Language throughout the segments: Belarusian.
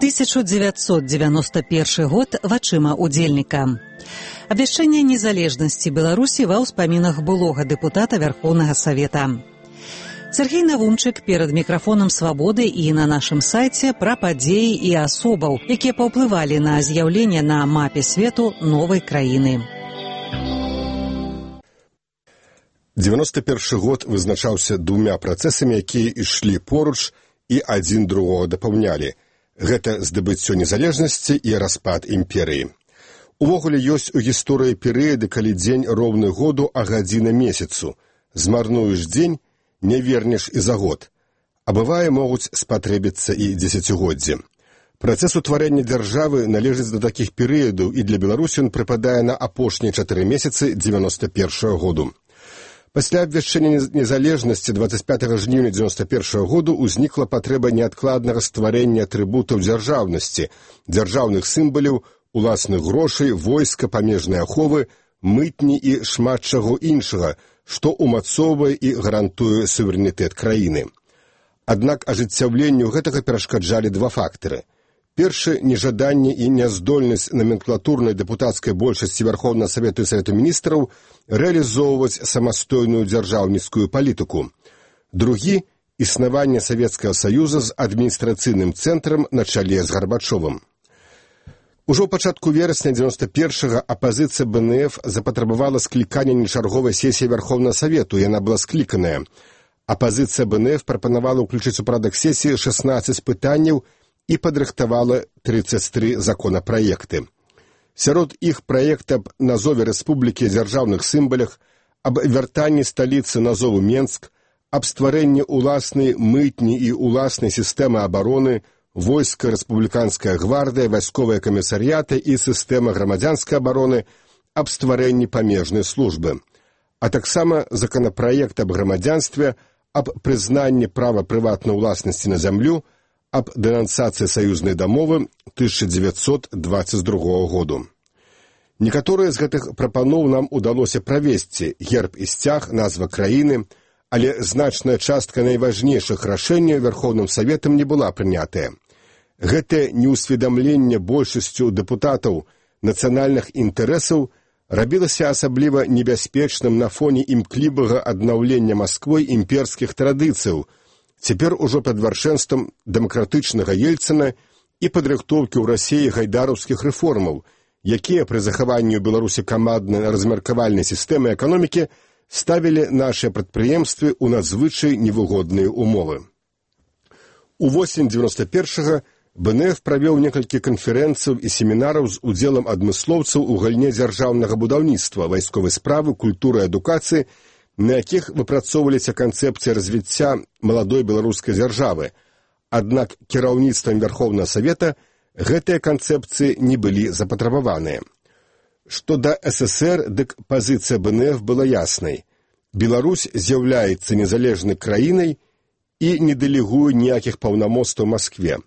1991 год вачыма удзельніка. Абвяшчэнне незалежнасці Беларусі ва ўспамінах былога дэпутата Вярхоўнага Савета. Сергей Навумчык перад мікрафонам «Свабоды» і на нашым сайце пра падзеі і асобаў, якія паўплывалі на з'яўленне на мапе свету новай краіны. 91 год вызначаўся двумя працэсамі, якія ішлі поруч і адзін другога дапаўнялі. Гэта здабыццё незалежнасці і распад імперыі. Увогуле ёсць у гісторыі перыяды, калі дзень роўны году, а гадзіна месяцу. Змарнуеш дзень, не вернеш і за год. А бывае, могуць спатрэбіцца і дзесяцігоддзі. Працэс утварэння дзяржавы належыць да такіх перыядаў, і для Беларусі ён прыпадае на апошнія 4 месяцы 91 году. Пасля абвяшчэння незалежнасці 25 жніўня 91 году ўзнікла патрэба неадкладнага стварэння атрыбутаў дзяржаўнасці, дзяржаўных сімваляў, уласных грошай, войска, памежнай аховы, мытні і шмат чаго іншага, што ўмацоўвае і гарантуе суверэнітэт краіны. Аднак ажыццяўленню гэтага перашкаджалі два фактары. Першы – нежаданне і няздольнасць номенклатурнай дэпутацкай большасці Верховнага Савету і Савету міністраў рэалізоўваць самастойную дзяржаўніцкую палітыку. Другі – існаванне Савецкага Саюза з адміністрацыйным цэнтрам на чале з Гарбачовым. Ужо ў пачатку верасня 91-го апазіцыя БНФ запатрабавала склікання нечарговай сесіі Верховнага Савету, і яна была скліканая. Апазіцыя БНФ прапанавала ўключыць у парадак сесіі 16 пытанняў і падрыхтавала 33 законапраекты. Сярод іх праект аб назове рэспублікі дзяржаўных сімвалях, аб вяртанні сталіцы назову Менск, аб стварэнні уласнай мытні і уласнай сістэмы абароны, войска, рэспубліканская гвардыя, вайсковыя камісарыяты і сістэма грамадзянскай абароны, аб стварэнні памежнай службы. А таксама законапраект аб грамадзянстве, аб прызнанні права прыватнай уласнасці на зямлю, аб дэнансацыі саюзнай дамовы 1922 году. Некаторыя з гэтых прапаноў нам удалося правесці, герб і сцяг, назва краіны, але значная частка найважнейшых рашэнняў Верховным Саветам не была прынятая. Гэтае неўсведамленне большасцю дэпутатаў нацыянальных інтарэсаў рабілася асабліва небяспечным на фоне імклівага аднаўлення Масквой імперскіх традыцыяў, цяпер ужо пад вяршэнствам дэмакратычнага Ельцына і падрыхтоўкі ў Расіі гайдараўскіх рэформаў, якія пры захаванні ў Беларусі каманднай размеркавальнай сістэмы эканомікі ставілі нашыя прадпрыемствы ў надзвычай невыгодныя ўмовы. У восень 91-го БНФ правёў некалькі канферэнцыяў і семінараў з удзелам адмыслоўцаў у галіне дзяржаўнага будаўніцтва, вайсковай справы, культуры і адукацыі, на якіх выпрацоўваліся канцэпцыі развіцця маладой беларускай дзяржавы. Аднак кіраўніцтвам Верховнага Савета гэтыя канцэпцыі не былі запатрабаваныя. Што да СССР, дык пазіцыя БНФ была яснай. Беларусь з'яўляецца незалежнай краінай і не дэлегуе ніякіх паўнамоцтваў Маскве.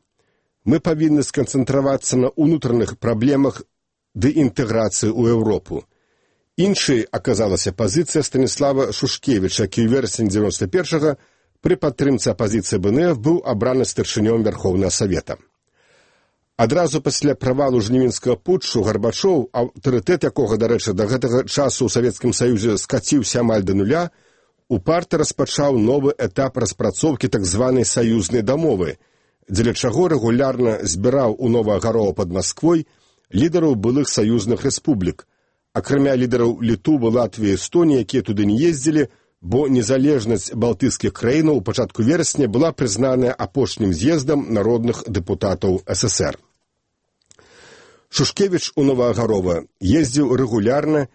Мы павінны сканцэнтравацца на ўнутраных праблемах ды інтэграцыі ў Еўропу. Іншай аказалася пазіцыя Станіслава Шушкевіча, які ў верасні 91-го пры падтрымцы апазіцыі БНФ быў абраны старшынём Верховнага Савета. Адразу пасля правалу жнівеньскага путчу Гарбачоў, аўтарытэт якога, дарэчы, да гэтага часу ў Савецкім Саюзе скаціўся амаль да нуля, у парты распачаў новы этап распрацоўкі так званай саюзнай дамовы, дзеля чаго рэгулярна збіраў у Новаагарова пад Масквой лідараў былых саюзных рэспублік, акрамя лідараў Літвы, Латвіі і Эстоніі, якія туды не ездзілі, бо незалежнасць балтыйскіх краінаў у пачатку верасня была прызнаная апошнім з'ездам народных дэпутатаў СССР. Шушкевіч у Новаагарова ездзіў рэгулярна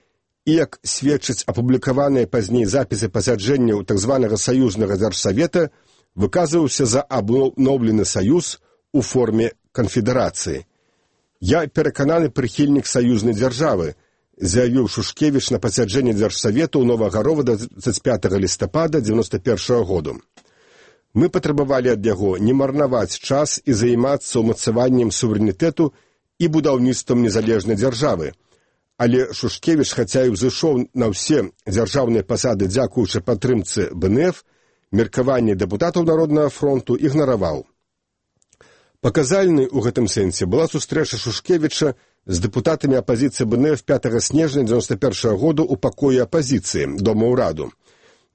і, як сведчаць апублікаваныя пазней запісы пасяджэнняў так званага саюзнага дзяржсавета, выказваўся за абноўлены саюз у форме канфедэрацыі. «Я перакананы прыхільнік саюзнай дзяржавы», заявіў Шушкевіч на пасяджэнні дзяржсавета ў Новаагарова 25 лістапада 91 году. Мы патрабавалі ад яго не марнаваць час і займацца ўмацаваннем суверэнітэту і будаўніцтвам незалежнай дзяржавы. Але Шушкевіч, хаця і ўзышоў на ўсе дзяржаўныя пасады дзякуючы падтрымцы БНФ, меркаванне дэпутатаў Народнага фронту ігнараваў. Паказальнай у гэтым сэнсе была сустрэча Шушкевіча з дэпутатамі апазіцыі БНФ 5 снежня 1991 году ў пакоі апазіцыі Дома ўраду.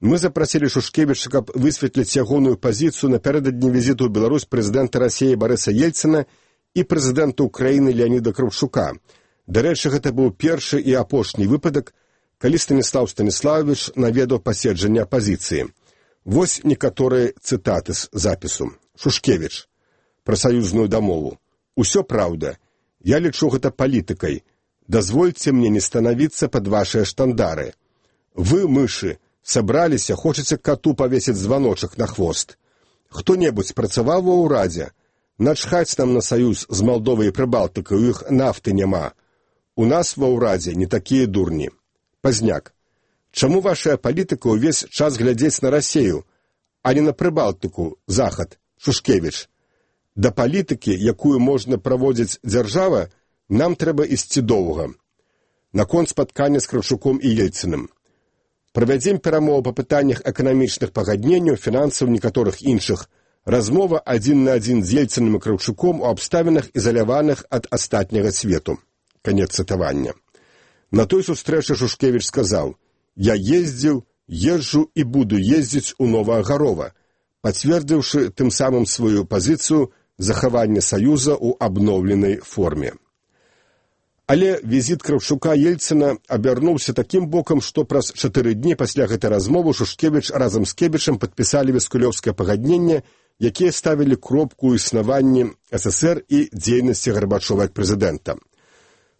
Мы запрасілі Шушкевіча, каб высветліць ягоную пазіцыю напярэдадні візіту ў Беларусь прэзідэнта Расіі Барыса Ельцына і прэзідэнта Украіны Леаніда Кравчука. Дарэчы, гэта быў першы і апошні выпадак, калі Станіслаў Станіславович наведаў паседжанне апазіцыі. Вось некаторыя цытаты з запісу. Шушкевіч. Пра саюзную дамову. Усё праўда. Я лічу гэта палітыкай. Дазвольце мне не станавіцца пад вашыя штандары. Вы, мышы, сабраліся, хочаце кату павесіць званочак на хвост. Хто-небудзь працаваў ва ўрадзе? Начхаць нам на саюз з Малдовай і Прыбалтыкай, у іх нафты няма. У нас ва ўрадзе не такія дурні. Пазняк. Чаму вашая палітыка ўвесь час глядзець на Расею, а не на Прыбалтыку, Захад, Шушкевіч? Да палітыкі, якую можна праводзіць дзяржава, нам трэба ісці доўга. Наконт спаткання з Кравчуком і Ельцыным. Правядзем перамовы па пытаннях эканамічных пагадненняў, фінансаў, некаторых іншых. Размова адзін на адзін з Ельцыным і Кравчуком у абставінах, ізаляваных ад астатняга свету. Канец цытавання. На той сустрэчы Шушкевіч сказаў: «Я ездзіў, езджу і буду ездзіць у Новаагарова», пацвердзіўшы тым самым сваю пазіцыю захавання саюза ў абноўленай форме. Але візіт Кравчука Ельцына абярнуўся такім бокам, што праз 4 дні пасля гэтай размовы Шушкевіч разам з Кебічам падпісалі віскулёўскае пагадненне, якія ставілі кропку ў існаванні СССР і дзейнасці Гарбачова як прэзідэнта.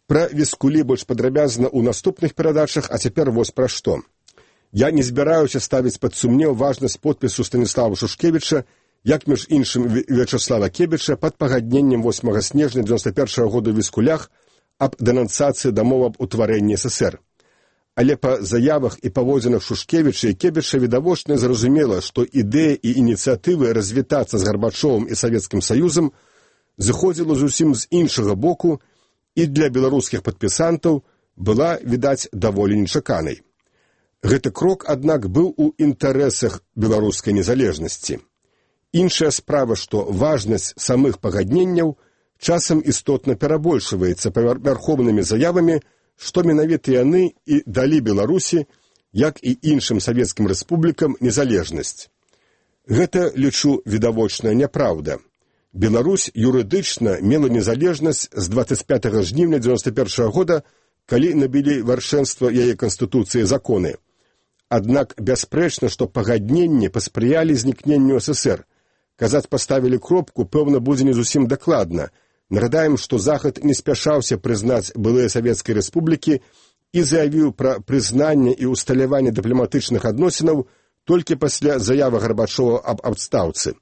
Пра віскулі больш падрабязна ў наступных перадачах, а цяпер вось пра што. Я не збіраюся ставіць пад сумнеў важнасць подпісу Станіслава Шушкевіча, як між іншым Вячаслава Кебіча пад пагадненнем 8 снежня 1991 года ў віскулях аб дэнансацыі дамоў аб утварэнні СССР. Але па заявах і паводзінах Шушкевіча і Кебіча відавочна зразумела, што ідэя і ініцыятывы развітацца з Гарбачовым і Савецкім Саюзам зыходзіла зусім з іншага боку і для беларускіх падпісантаў была, відаць, даволі нечаканай. Гэты крок, аднак, быў у інтарэсах беларускай незалежнасці. Іншая справа, што важнасць самых пагадненняў часам істотна перабольшваецца павярхоўнымі заявамі, што менавіта яны і далі Беларусі, як і іншым савецкім рэспублікам, незалежнасць. Гэта, лічу, відавочная няпраўда. Беларусь юрыдычна мела незалежнасць з 25 жніўня 1991 года, калі набілі вяршэнства яе канстытуцыі законы. Аднак бясспрэчна, што пагадненні паспрыялі знікненню СССР. Казаць паставілі кропку, пэўна, будзе не зусім дакладна. Нагадаем, што Захад не спяшаўся прызнаць былыя савецкія рэспублікі і заявіў пра прызнанне і усталяванне дыпламатычных адносінаў толькі пасля заявы Гарбачова аб адстаўцы.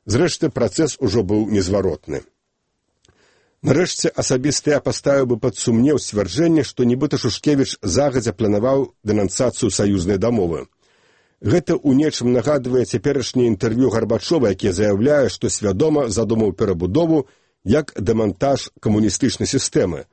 Зрэшты, працэс ужо быў незваротны. Нарэшце, асабіста я паставіў бы пад сумнеў сцвярджэнне, што нібыта Шушкевіч загадзя планаваў дэнансацыю саюзнай дамовы. Гэта ў нечым нагадвае цяперашняе інтэрв'ю Гарбачова, які заяўляе, што свядома задумаў перабудову як дэмантаж камуністычнай сістэмы.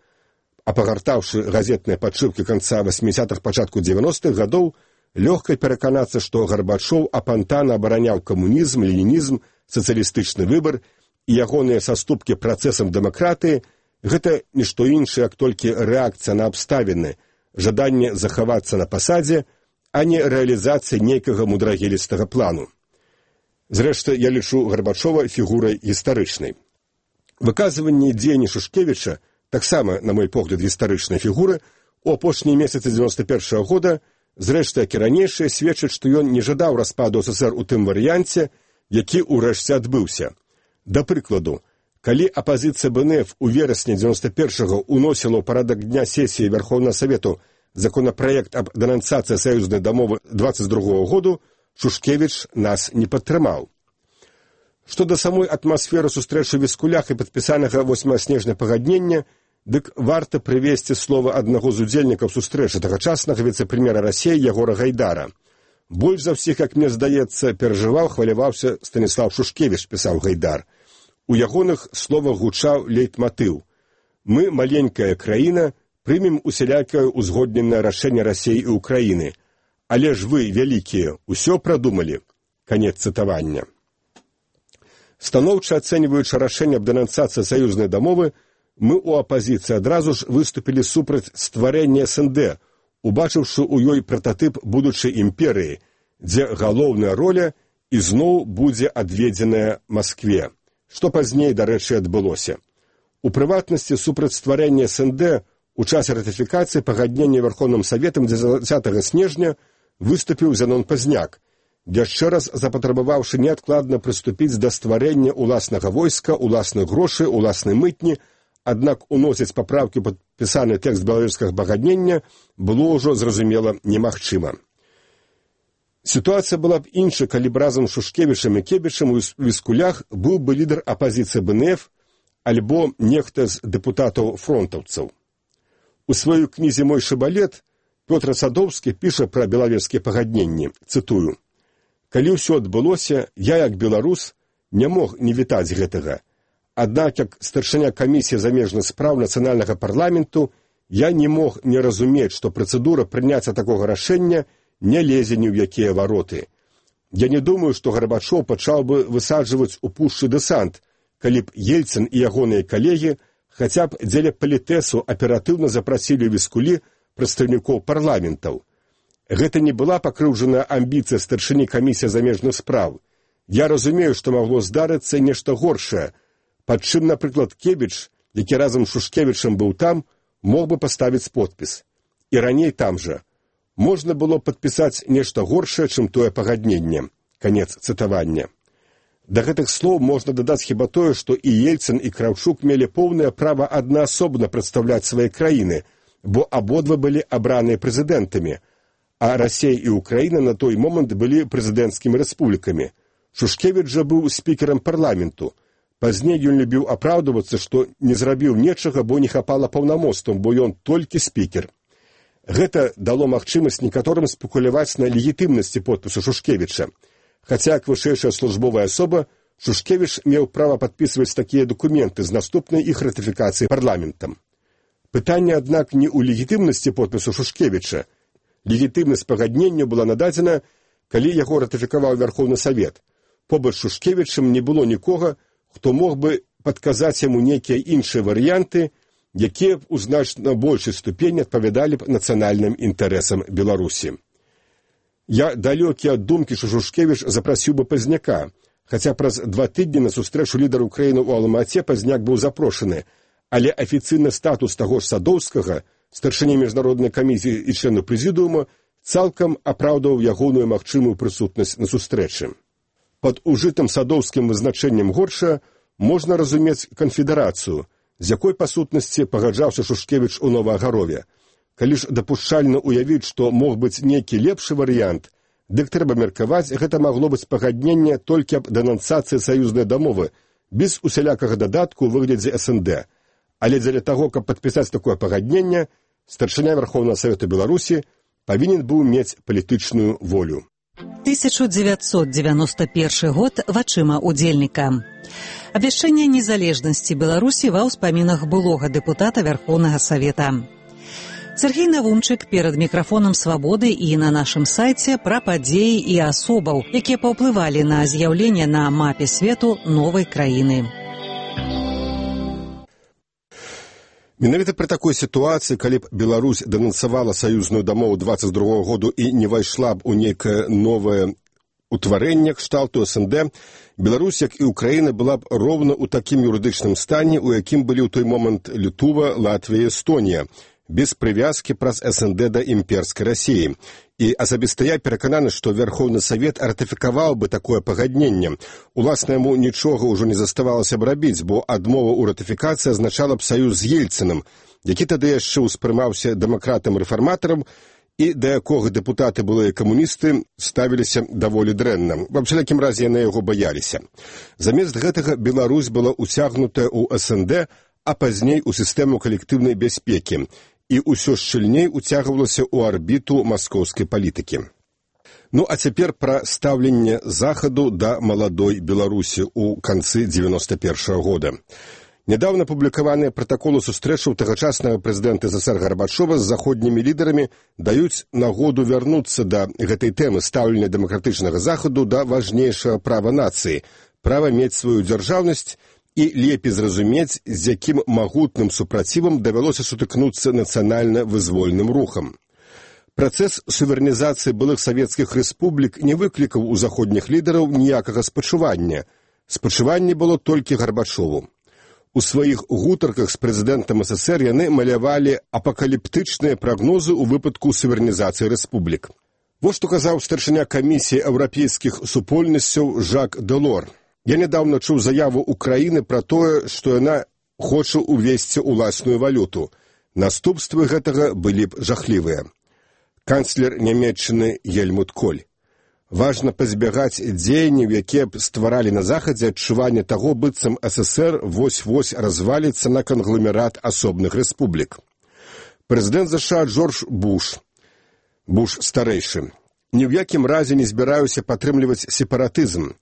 А пагартаўшы газетныя падшыўкі канца 80-х, пачатку 90-х гадоў, лёгка пераканацца, што Гарбачоў апантана абараняў камунізм, ленінізм, сацыялістычны выбар і ягоныя саступкі працэсам дэмакратыі – гэта нішто іншае, як толькі рэакцыя на абставіны, жаданне захавацца на пасадзе, а не рэалізацыя нейкага мудрагелістага плану. Зрэшты, я лічу Гарбачова фігурай гістарычнай. Выказванне дзеянні Шушкевіча, таксама, на мой погляд, гістарычнай фігуры, у апошнія месяцы 91 года, зрэшты, як і ранейшае, сведчыць, што ён не жадаў распаду СССР у тым варыянце, які ўрэшце адбыўся. Да прыкладу, калі апазіцыя БНФ у верасні 91-го уносіла ў парадак дня сесіі Верховнага Савету законапраект аб дэнансацыі саюзнай дамовы 22-го году, Шушкевіч нас не падтрымаў. Што да самой атмасферы сустрэчы ў віскулях і падпісанага 8 снежня пагаднення, дык варта прывесці слова аднаго з удзельнікаў сустрэчы, тагачаснага віцэ-прэм'ера Расіі Ягора Гайдара. Больш за ўсіх, як мне здаецца, перажываў, хваляваўся Станіслаў Шушкевіч, пісаў Гайдар. У ягоных словах гучаў лейтматыў: «Мы, маленькая краіна, прымем усялякае ўзгодненае рашэнне Расіі і Украіны. Але ж вы, вялікія, усё прадумалі». Канец цытавання. Станоўча ацэньваючы рашэнне аб дэнансацыі саюзнай дамовы, мы ў апазіцыі адразу ж выступілі супраць стварэння СНД, убачыўшы ў ёй прататып будучай імперыі, дзе галоўная роля ізноў будзе адведзеная Маскве, што пазней, дарэчы, адбылося. У прыватнасці супраць стварэння СНД у часе ратыфікацыі пагаднення Верховным Саветам 10 снежня выступіў Зянон Пазняк, яшчэ раз запатрабаваўшы неадкладна прыступіць да стварэння ўласнага войска, уласных грошай, уласнай мытні, аднак уносіць папраўкі ў падпісаны тэкст беларускага пагаднення было ўжо, зразумела, немагчыма. Сітуацыя была б іншай, калі б разам з Шушкевічам і Кебічам у Віскулях быў бы лідар апазіцыі БНФ альбо нехта з дэпутатаў-фронтаўцаў. У сваёй кнізе «Мой шыбалет» Пётр Садоўскі піша пра беларускія пагадненні, цытую: «Калі ўсё адбылося, я, як беларус, не мог не вітаць гэтага. Аднак, як старшыня камісіі замежных спраў нацыянальнага парламенту, я не мог не разумець, што працэдура прыняцця такога рашэння не лезе ні ў якія вароты. Я не думаю, што Гарбачоў пачаў бы высаджваць у пушчы дэсант, калі б Ельцын і ягоныя калегі хаця б дзеля палітэсу аператыўна запрасілі ў Віскулі прадстаўнікоў парламентаў. Гэта не была пакрыўджаная амбіцыя старшыні камісіі замежных спраў. Я разумею, што магло здарыцца нешта горшае, пад чым, напрыклад, Кебіч, які разам з Шушкевічам быў там, мог бы паставіць подпіс. І раней там жа. Можна было падпісаць нешта горшае, чым тое пагадненне». Канец цытавання. Да гэтых слоў можна дадаць хіба тое, што і Ельцын, і Краўчук мелі поўнае права аднаасобна прадстаўляць свае краіны, бо абодва былі абраныя прэзідэнтамі, а Расія і Украіна на той момант былі прэзідэнцкімі рэспублікамі. Шушкевіч жа быў спікерам парламенту. Пазней ён любіў апраўдвацца, што не зрабіў нечага, бо не хапала паўнамоцтвам, бо ён толькі спікер. Гэта дало магчымасць некаторым спекуляваць на легітымнасці подпісу Шушкевіча. Хаця, як вышэйшая службовая асоба, Шушкевіч меў права падпісваць такія дакументы з наступнай іх ратыфікацыі парламентам. Пытанне, аднак, не ў легітымнасці подпісу Шушкевіча. Легітымнасць пагаднення была нададзена, калі яго ратыфікаваў Верховны Савет. Побач з Шушкевічам не было нікога, хто мог бы падказаць яму нейкія іншыя варыянты, якія б у значна большай ступені адпавядалі б нацыянальным інтарэсам Беларусі. Я далёкі ад думкі, што Шушкевіч запрасіў бы Пазняка, хаця праз 2 тыдні на сустрэчу лідара Украіны ў Алмаце Пазняк быў запрошаны, але афіцыйны статус таго ж Садоўскага, старшыні міжнароднай камісіі і члену прэзідыума, цалкам апраўдваў ягоную магчымую прысутнасць на сустрэчы. Пад ужытым Садоўскім вызначэннем горша можна разумець канфедэрацыю, з якой па сутнасці пагаджаўся Шушкевіч у Новаагарове. Калі ж дапушчальна ўявіць, што мог быць нейкі лепшы варыянт, дык трэба меркаваць, гэта магло быць пагадненне толькі аб дэнансацыі саюзнай дамовы, без усялякага дадатку ў выглядзе СНД. Але дзеля таго, каб падпісаць такое пагадненне, старшыня Верховнага Савета Беларусі павінен быў мець палітычную волю. 1991 год вачыма удзельніка. Абвяшчэнне незалежнасці Беларусі ва ўспамінах былога дэпутата Верховнага Савета. Сергей Навумчык перад мікрафонам «Свабоды» і на нашым сайце пра падзеі і асобаў, якія паўплывалі на з'яўленне на мапе свету новай краіны. Менавіта пры такой сітуацыі, калі б Беларусь дэнансавала саюзную дамову 22 году і не вайшла б у нейкае новае утварэнне кшталту СНД, Беларусь, як і Украіна, была б роўна ў такім юрыдычным стане, у якім былі ў той момант Літва, Латвія і Эстонія, без прывязкі праз СНД да імперскай Расіі. І асабіста я перакананы, што Верховны Савет ратыфікаваў бы такое пагадненне. Уласна, яму нічога ўжо не заставалася б рабіць, бо адмова ў ратыфікацыі азначала б саюз з Ельцынам, які тады яшчэ ўспрымаўся дэмакратам-рэфарматарам і да якога дэпутаты былыя камуністы ставіліся даволі дрэнна. Ва ўсялякім разе яны яго баяліся. Замест гэтага Беларусь была ўцягнутая ў СНД, а пазней у сістэму калектыўнай бяспекі, і ўсё шчыльней уцягвалася ў арбіту маскоўскай палітыкі. Ну, а цяпер пра стаўленне Захаду да маладой Беларусі ў канцы 91-го года. Нядаўна публікаваныя пратаколы сустрэчаў тагачаснага прэзідэнта СССР Гарбачова з заходнімі лідарамі даюць нагоду вярнуцца да гэтай тэмы стаўлення дэмакратычнага Захаду да важнейшага права нацыі права мець сваю дзяржаўнасць і лепей зразумець, з якім магутным супрацівам давялося сутыкнуцца нацыянальна-вызвольным рухам. Працэс суверэнізацыі былых савецкіх рэспублік не выклікаў у заходніх лідараў ніякага спачування. Спачуванне было толькі Гарбачову. У сваіх гутарках з прэзідэнтам СССР яны малявалі апакаліптычныя прагнозы ў выпадку суверэнізацыі рэспублік. Вось што казаў старшыня камісіі еўрапейскіх супольнасцяў Жак Дэлор. Я нядаўна чуў заяву Украіны пра тое, што яна хоча ўвесці ўласную валюту. Наступствы гэтага былі б жахлівыя. Канцлер Нямецчыны Гельмут Коль. Важна пазбягаць дзеянняў, якія б стваралі на Захадзе адчуванне таго, быццам СССР вось-вось разваліцца на кангломерат асобных рэспублік. Прэзідэнт ЗША Джордж Буш старэйшы. Ні ў якім разе не збіраюся падтрымліваць сепаратызм.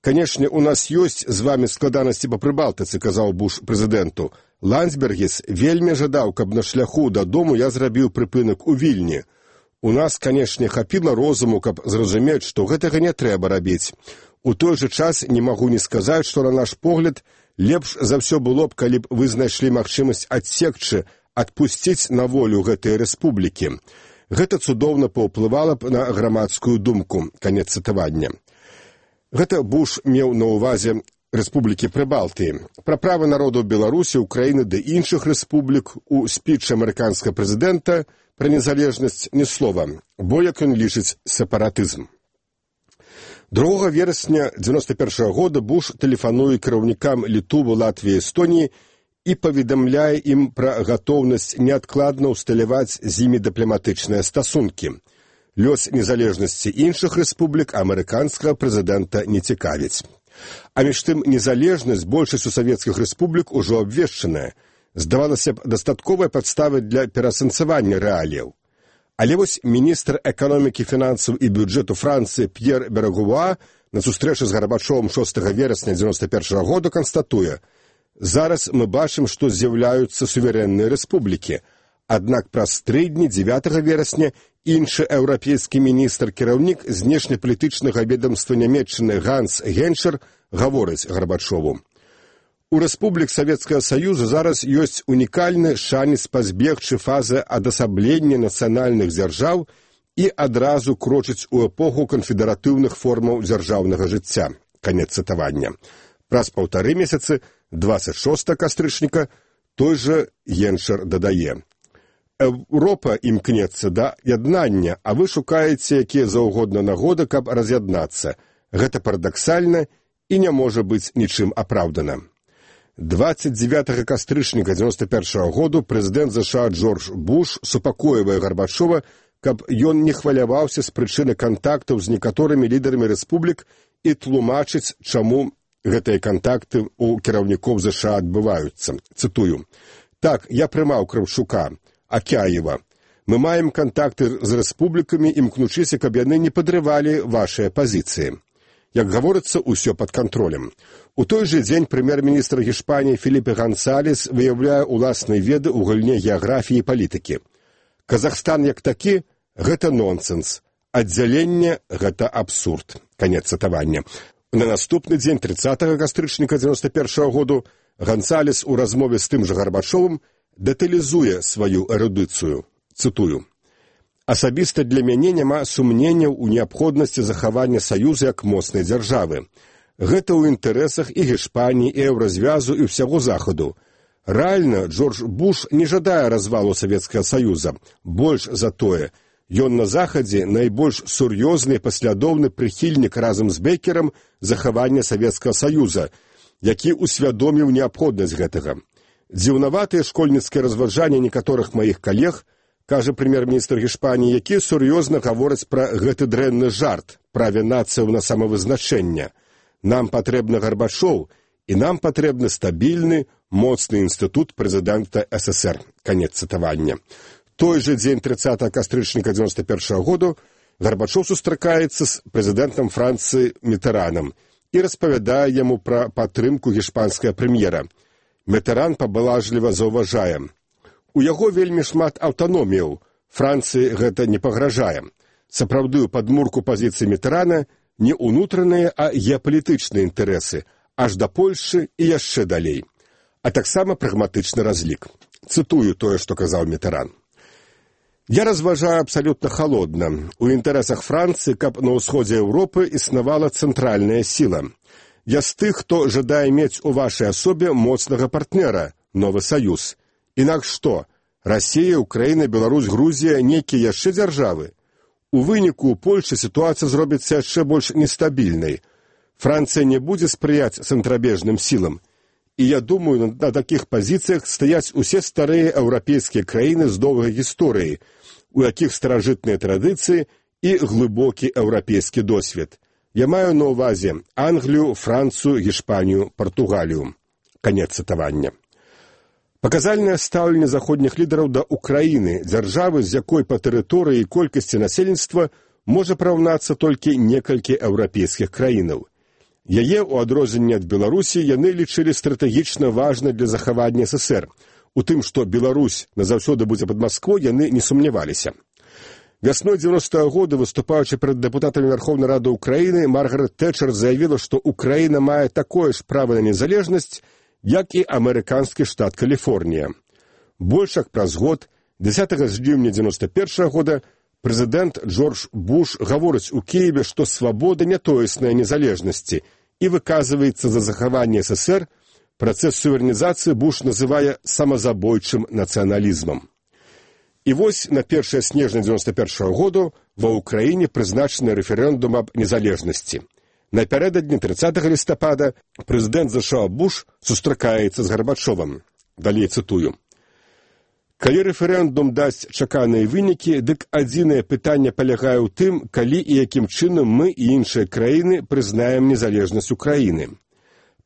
Канешне, у нас ёсць з вамі складанасці па Прыбалтыцы, казаў Буш прэзідэнту. Ландсбергіс вельмі жадаў, каб на шляху дадому я зрабіў прыпынак у Вільні. У нас, канешне, хапіла розуму, каб зразумець, што гэтага не трэба рабіць. У той жа час не магу не сказаць, што на наш погляд лепш за ўсё было б, калі б вы знайшлі магчымасць адсекчы, адпусціць на волю гэтыя рэспублікі. Гэта цудоўна паўплывала б на грамадскую думку. Канец цытавання. Гэта Буш меў на ўвазе рэспублікі Прыбалтыі. Пра правы народаў Беларусі, Украіны ды іншых рэспублік у спічы амерыканскага прэзідэнта пра незалежнасць ні слова, бо, як ён лічыць, сепаратызм. 2 верасня 1991 года Буш тэлефануе кіраўнікам Літвы, Латвіі, Эстоніі і паведамляе ім пра гатоўнасць неадкладна ўсталяваць з імі дыпламатычныя стасункі. Лёс незалежнасці іншых рэспублік амерыканскага прэзідэнта не цікавіць. А між тым незалежнасць большасцю савецкіх рэспублік ужо абвешчаная. Здавалася б, дастатковая падстава для пераасэнсавання рэаліяў. Але вось міністр эканомікі, фінансаў і бюджэту Францыі П'ер Берагуа на сустрэчы з Гарбачовым 6 верасня 1991 года канстатуе: «Зараз мы бачым, што з'яўляюцца суверэнныя рэспублікі. Аднак праз 3 дні 9 верасня іншы еўрапейскі міністр, кіраўнік знешнепалітычнага ведамства Нямецчыны Ганс Геншер гаворыць Гарбачову: у рэспублік Савецкага Саюза зараз ёсць унікальны шанец пазбегчы фазы адасаблення нацыянальных дзяржаў і адразу крочыць у эпоху канфедэратыўных формаў дзяржаўнага жыцця». Канец цытавання. Праз 1,5 месяцы, 26 кастрычніка, той жа Геншер дадае: «Еўропа імкнецца да яднання, а вы шукаеце якія заўгодна нагоды, каб раз'яднацца. Гэта парадаксальна і не можа быць нічым апраўдана». 29 кастрычніка 1991 году прэзідэнт ЗША Джордж Буш супакойвае Гарбачова, каб ён не хваляваўся з прычыны кантактаў з некаторымі лідарамі рэспублік і тлумачыць, чаму гэтыя кантакты ў кіраўнікоў ЗША адбываюцца. Цытую: «Так, я прымаў Кравчука, Акяева. Мы маем кантакты з рэспублікамі, імкнучыся, каб яны не падрывалі вашыя пазіцыі. Як гаворыцца, усё пад кантролем». У той жа дзень прэм'ер-міністр Гішпаніі Феліпе Гансалес выяўляе уласныя веды ў галіне геаграфіі і палітыкі. «Казахстан як такі – гэта нонсенс. Аддзяленне – гэта абсурд». Канец цытавання. На наступны дзень 30 кастрычніка 1991 году Гансалес у размове з тым жа Гарбачовым дэталізуе сваю эрудыцыю. Цытую: «Асабіста для мяне няма сумненняў у неабходнасці захавання Саюза як моцнай дзяржавы. Гэта ў інтарэсах і Гішпаніі, і еўразвязу, і ўсяго Захаду. Рэальна, Джордж Буш не жадае развалу Савецкага Саюза. Больш за тое, ён на Захадзе найбольш сур'ёзны і паслядоўны прыхільнік разам з Бекерам захавання Савецкага Саюза, які усвядоміў неабходнасць гэтага. Дзіўнаватыя школьніцкія разважанні некаторых маіх калег, кажа прэм'ер-міністр Гішпаніі, якія сур'ёзна гавораць пра гэты дрэнны жарт, праве нацыяў на самавызначэнне. Нам патрэбны Гарбачоў, і нам патрэбны стабільны, моцны інстытут прэзідэнта СССР». Канец цытавання. Той жа дзень 30 кастрычніка 1991 году Гарбачоў сустракаецца з прэзідэнтам Францыі Мітэранам і распавядае яму пра падтрымку гішпанскага прэм'ера. Мітеран пабалажліва заўважае: «У яго вельмі шмат аўтаноміяў, Францыі гэта не пагражае. Сапраўдную падмурку пазіцыі Мітерана Не ўнутраныя, а геапалітычныя інтарэсы, аж да Польшы і яшчэ далей. А таксама прагматычны разлік. Цытую тое, што казаў Мітеран. Я разважаю абсалютна халодна. У інтарэсах Францыі, каб на ўсходзе Еўропы існавала цэнтральная сіла. Я з тых, хто жадае мець у вашай асобе моцнага партнера, новы саюз. Інакш што? Расія, Украіна, Беларусь, Грузія, нейкія яшчэ дзяржавы? У выніку ў Польшы сітуацыя зробіцца яшчэ больш нестабільнай. Францыя не будзе спрыяць цэнтрабежным сілам. І я думаю, на такіх пазіцыях стаяць усе старыя еўрапейскія краіны з доўгай гісторыяй, у якіх старажытныя традыцыі і глыбокі еўрапейскі досвед. Я маю на ўвазе Англію, Францыю, Гішпанію, Партугалію. Канец цытавання. Паказальнае стаўленне заходніх лідараў да Украіны, дзяржавы, з якой па тэрыторыі і колькасці насельніцтва можа параўнацца толькі некалькі еўрапейскіх краінаў. Яе, у адрозненне ад Беларусі, яны лічылі стратэгічна важнай для захавання СССР. У тым, што Беларусь назаўсёды будзе пад Масквой, яны не сумняваліся. Вясной 90-го года, выступаючы перад дэпутатамі Верховнай Рады Украіны, Маргарет Тэтчер заявіла, што Украіна мае такое ж права на незалежнасць, як і амерыканскі штат Каліфорнія. Больш як праз год, 10 жніўня 91-го года, прэзідэнт Джордж Буш гаворыць у Кіеве, што свабода не тоесная незалежнасці і выказваецца за захаванне СССР. Працэс суверэнізацыі Буш называе самазабойчым нацыяналізмам. І вось на 1 снежня 91-го году ва Ўкраіне прызначаны рэферэндум аб незалежнасці. Напярэдадні 30 лістапада прэзідэнт ЗША Буш сустракаецца з Гарбачовым. Далей цытую. Калі рэферэндум дасць чаканыя вынікі, дык адзінае пытанне палягае ў тым, калі і якім чынам мы і іншыя краіны прызнаем незалежнасць Украіны.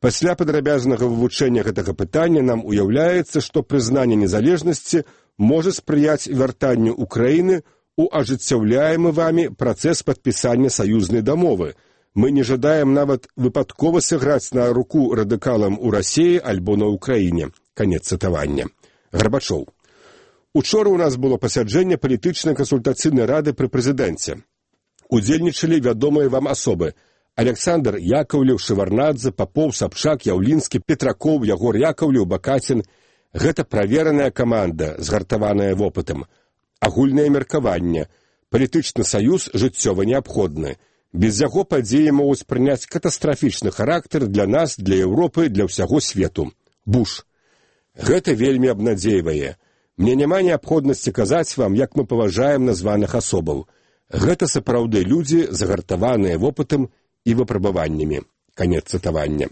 Пасля падрабязнага вывучэння гэтага пытання нам уяўляецца, што прызнанне незалежнасці можа спрыяць вяртанню Украіны ў ажыццяўляемы вамі працэс падпісання саюзнай дамовы. Мы не жадаем нават выпадкова сыграць на руку радыкалам у Расіі альбо на Украіне. Канец цытавання. Гарбачоў. Учора ў нас было пасяджэнне палітычнай кансультацыйнай рады пры прэзідэнце. Удзельнічалі вядомыя вам асобы: Александр Яковлеў, Шеварнадзе, Попов, Сапчак, Яўлінскі, Петракоў, Ягор Яковлеў, Бакацін. Гэта правераная каманда, згартаваная вопытам. Агульнае меркаванне. Палітычны саюз жыццёва неабходны. Без яго падзеі могуць прыняць катастрафічны характар для нас, для Еўропы, для ўсяго свету. Буш. Гэта вельмі абнадзейвае. Мне няма неабходнасці казаць вам, як мы паважаем названых асобаў. Гэта сапраўды людзі, загартаваныя вопытам і выпрабаваннямі. Канец цытавання.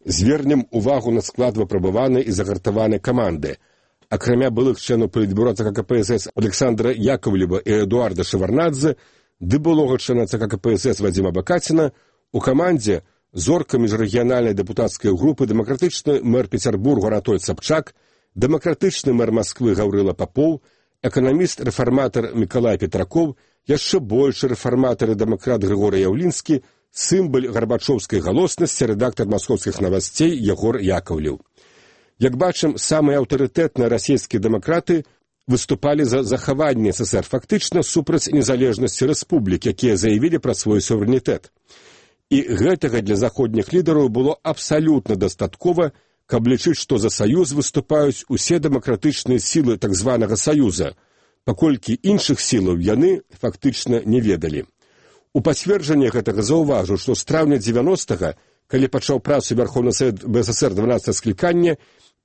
Звернем увагу на склад выпрабаванай і загартаванай каманды. Акрамя былых членаў палітбюро ЦК КПСС Александра Яковлева і Эдуарда Шеварнадзе, ды былога члена ЦК КПСС Вадзіма Бакаціна, у камандзе зорка міжрэгіянальнай дэпутацкай групы дэмакратычны мэр Пецярбурга Анатоль Сапчак, дэмакратычны мэр Масквы Гаўрыла Попоў, эканаміст-рэфарматар Мікалай Петракоў, яшчэ большы рэфарматар і дэмакрат Грыгорый Яўлінскі, сімбаль гарбачоўскай галоснасці, рэдактар маскоўскіх навасцей Ягор Яковлеў. Як бачым, самыя аўтарытэтныя расійскія дэмакраты выступалі за захаванне СССР, фактычна супраць незалежнасці рэспублік, якія заявілі пра свой суверэнітэт. І гэтага для заходніх лідараў было абсалютна дастаткова, каб лічыць, што за саюз выступаюць усе дэмакратычныя сілы так званага саюза, паколькі іншых сілаў яны фактычна не ведалі. У пацверджанне гэтага заўважу, што з траўня 90-га, калі пачаў працу Верховны Савет БССР 12 склікання,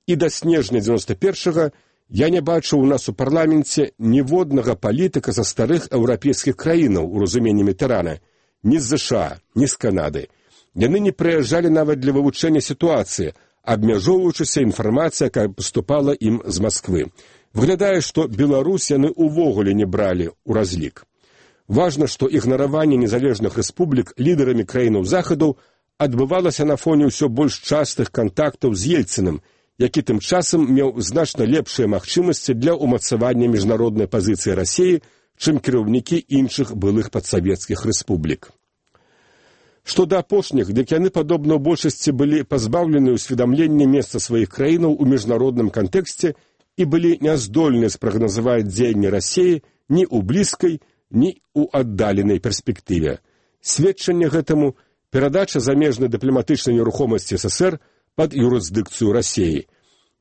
і да снежня 91-га я не бачыў у нас у парламенце ніводнага палітыка са старых еўрапейскіх краінаў у разуменні Мітерана, ні з ЗША, ні з Канады. Яны не прыязджалі нават для вывучэння сітуацыі, абмяжоўваючыся інфармацыя, якая паступала ім з Масквы. Выглядае, што Беларусь яны ўвогуле не бралі ў разлік. Важна, што ігнараванне незалежных рэспублік лідарамі краінаў захаду адбывалася на фоне ўсё больш частых кантактаў з Ельцыным, які тым часам меў значна лепшыя магчымасці для ўмацавання міжнароднай пазіцыі Расіі, чым кіраўнікі іншых былых падсавецкіх рэспублік. Што да апошніх, дык яны, падобна ў большасці, былі пазбаўлены ўсведамлення месца сваіх краінаў у міжнародным кантэксце і былі няздольныя спрагназаваць дзеянні Расіі ні ў блізкай, ні ў аддаленай перспектыве. Сведчанне гэтаму перадача замежнай дыпламатычнай нерухомасці СССР пад юрысдыкцыю Расіі.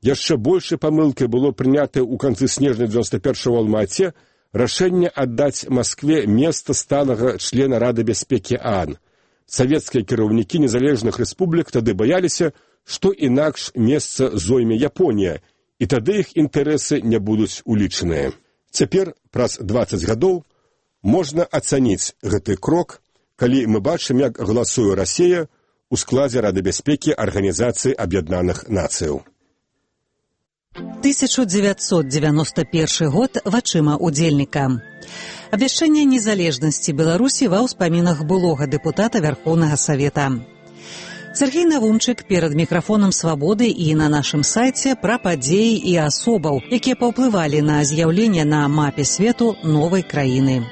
Яшчэ большай памылкай было прынятае ў канцы снежня 91-го ў Алма-Ате рашэнне аддаць Маскве месца сталага члена Рады бяспекі ААН. Савецкія кіраўнікі незалежных рэспублік тады баяліся, што інакш месца зойме Японія, і тады іх інтарэсы не будуць улічаныя. Цяпер, праз 20 гадоў, можна ацаніць гэты крок, калі мы бачым, як галасуе Расія ў складзе Рады бяспекі Арганізацыі Аб'яднаных Нацыяў. 1991 год вачыма удзельніка. Абвяшчэнне незалежнасці Беларусі ва ўспамінах былога дэпутата Вярхоўнага Савета. Сергей Навумчык перад мікрафонам «Свабоды» і на нашым сайце пра падзеі і асобаў, якія паўплывалі на з'яўленне на мапе свету новай краіны.